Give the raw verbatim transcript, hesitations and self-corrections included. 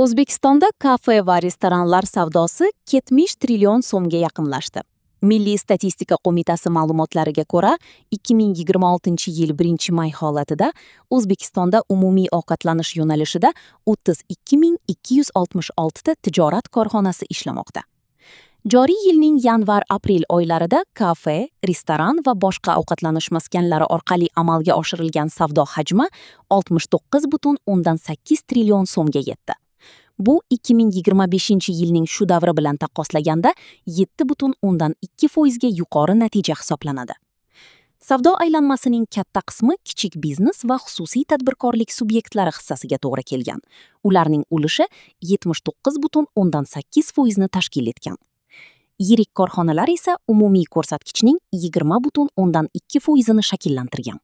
O'zbekistonda kafe va restoranlar savdosi yetmish trillion so'mga yaqinlashdi. Milliy statistika qo'mitasi ma'lumotlariga ko'ra, ikki ming yigirma oltinchi yil birinchi may holatida O'zbekistonda umumiy ovqatlanish yo'nalishida o'ttiz ikki ming ikki yuz oltmish oltita tijorat korxonasi ishlamoqda. Joriy yilning yanvar-aprel oylarida kafe, restoran va boshqa ovqatlanish maskanlari orqali amalga oshirilgan savdo hajmi oltmish to'qqiz butun o'ndan sakkiz trillion so'mga yetdi. Bu ikki ming yigirma beshinchi yilning shu davri bilan taqqoslaganda yetti butun o'ndan ikki foizga yuqori natija hisoblanadi. Savdo aylanmasining katta qismi kichik biznes va xususiy tadbirkorlik subyektlari hissasiga to'g'ri kelgan. Ularning ulushi yetmish to'qqiz butun o'ndan sakkiz foizni tashkil etgan. Yirik korxonalar esa umumiy ko'rsatkichning yigirma butun o'ndan ikki foizini shakllantirgan.